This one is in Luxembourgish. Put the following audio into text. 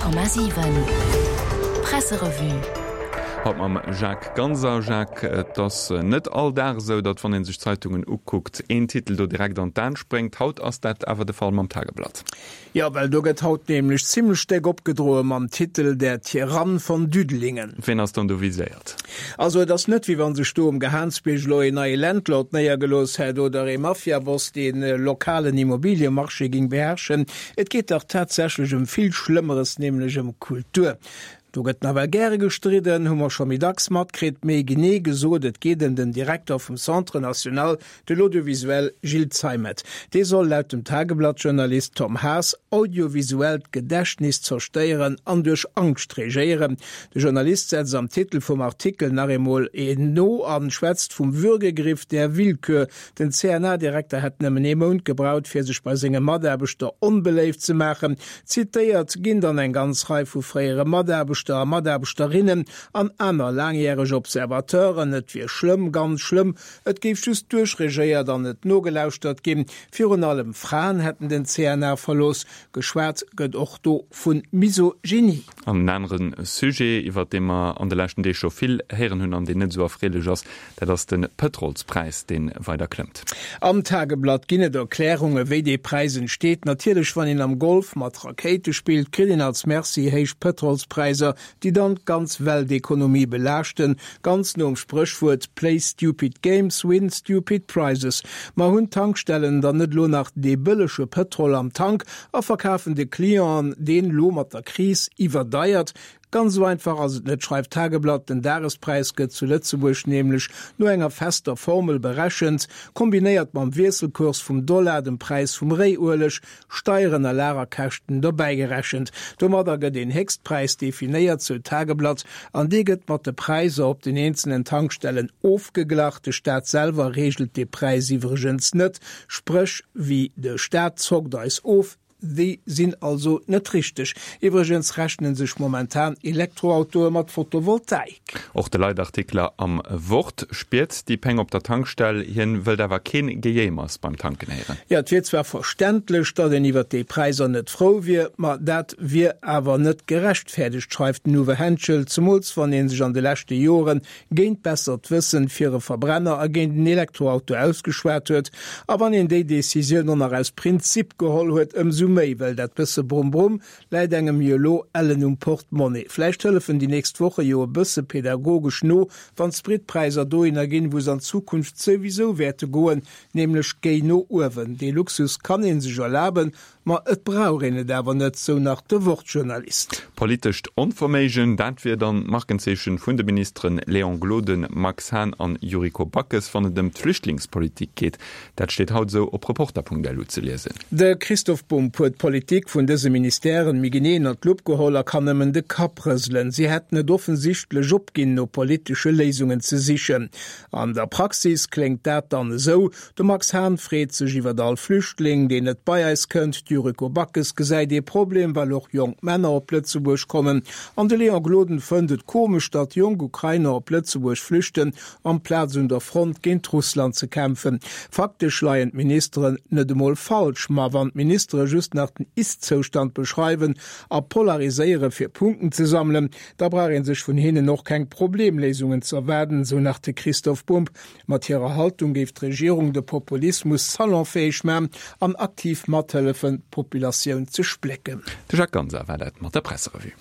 100,7 Presserevue. Haut mam Jacques Ganser. Jacques, et ass net all Dag esou, datt wann ee sech d'Zeitungen ukuckt, een Titel do direkt an d'An spréngt. Haut ass dat awer de Fall mam Tageblatt. Jo, well do gëtt haut nämlech zimlech déck opgedroe mam Titel Der Tyrann von Düdelingen. Ween ass dann do viséiert? Also et ass net, wéi wann sech do um Gehaansbierg elo een neie Landlord néiergelooss hätt oder ee Mafiaboss dee lokalen Immobiliemarché ging beherrschen. Et geet dach tatsächlech ëm vill Schlëmmeres, nämlech ëm Kultur. Do gëtt nawell gäre gestridden, hu mer scho méi dacks matkritt. Méi genee gesot, et geet ëm den Direkter vum Centre national de l'audiovisuel Gilles Zeimet. Dee soll laut dem Tageblatt-Journalist Tom Haas audiovisuellt Gedächtnis zerstéieren an duerch Angscht regéieren. De Journalist setzt am Titel vum Artikel nach eemol een no a schwätzt vum Würgegriff der Willkür. Den CNA-Direkter hätt nëmmen ee Mount gebraucht, fir sech bei senge Mataarbechter onbeléift ze maachen. Zitéiert ginn dann eng ganz Rei vu fréiere Mataarbechter a Mataarbechterinnen an aner laangjäreg Observateuren. Et wier schlëmm, ganz schlëmm, Et géif just duerchregéiert an net nogelauschtert ginn. Virun allem Fraen hätten den CNA verlooss. Geschwat gëtt och do vu Misogynie. An en anere Sujet, iwwert dee mer an de leschten Deeg scho vill héieren hunn an deen net esou erfreelech ass, dat ass de Pëtrolspräis, dee weider klëmmt. Am Tageblatt ginn et Erklärunge wéi dee Präis entsteet. Natierlech, wann een am Golf mat Rakéite spillt, kritt een als Merci héich Pëtrolspräiser. déi dann d'ganz Weltekonomie belaaschten, ganz nom Spréchwuert Play stupid games, win stupid prizes. Ma hunn d'Tankstellen dann net lo nach dee bëllege Pëtrol am Tank a verkafen de Clienten deen lo mat der Kris iwwerdeiert? Ganz esou einfach ass et net, schreift d'Tageblatt. Den Dagespräis gëtt zu Lëtzebuerg nämlech no enger fester Formel berechent, kombinéiert mam Wiesselkurs vum Dollar, dem Präis vum Réiueleg, Steieren a Lagerkäschten dobäigerechent. Domadder gëtt een Héchstpräis definéiert, sou d'Tageblatt, an dee gëtt mat de Präiser op den eenzelen Tankstellen ofgeglach. De Staat selwer reegelt dee Präis iwwregens net, spréch wéi de Staat zockt eis of. Déi sinn also net richteg. Iwwregens rechnen sech momentan Elektroautoe mat Photovoltaik. Och de Leitartikler am Wort spiert déi Péng op der Tankstell. Hien wëllt awer keen Gejéimers beim Tanken héieren. Jo, et wier zwar verständlech, datt een iwwer déi Präisser net frou wier, ma dat wier awer net gerechtfäerdegt, schreift den Uwe Henschel, zemools wann ee sech an de leschte Jore géint bessert Wëssen fir e Verbrenner a géint en Elektroauto ausgeschwat huet. A wann een déi Decisioun och nach aus Prinzip geholl huet, ëmsou méi, well dat bësse Brumm-Brumm Läit engem jo elo ellen um Portemonnaie. Vläicht hëllefen déi nächst Woche jo e bësse pedagogesch no, wann d'Spritpräisser dohinner ginn, wou se an Zukunft souwisou wäerte goen, nämlech géi no uewen. Dee Luxus kann ee sech erlaben, ma et brauch een et awer net, sou nach de Wort-Journalist. Politescht Onverméigen, dat wier dann d'Markenzeechen vun de Ministeren Léon Gloden, Max Hahn an Yuriko Backes, wann et ëm d'Flüchtlingspolitik geet. Dat steet haut esou op Reporter.lu ze liesen. De Christoph Bumb huet d'Politik vun dëse Ministèren méi genee ënner d'Lupp geholl a kann nëmmen de Kapp rëselen. Si hätten et offensichtlech opginn, no politesche Léisungen ze sichen. An der Praxis kléngt dat dann esou, De Max Hahn freet sech iwwert all Flüchtling, deen net bei eis kënnt, d'Yuriko Backes gesäit ee Problem, well och jonk Männer op Lëtzebuerg kommen an de Léon Gloden fënnt et komesch, datt jonk Ukrainer op Lëtzebuerg flüchten amplaz un der Front géint Russland ze kämpfen. Faktesch leien d'Ministeren net emol falsch, ma wann d'Ministere just nach den Ist-Zoustand beschreiwen a polariséiere fir Punkten ze sammelen, da brauch ee sech vun hinnen och keng Problemléisungen ze erwaarden, sou nach de Christoph Bumb. Mat hirer Haltung géif d'Regierung de Populismus salonfäeg man an aktiv mathëllefen, d'Populatioun ze splécken. De Jacques Ganser war dat mat der Presserevue.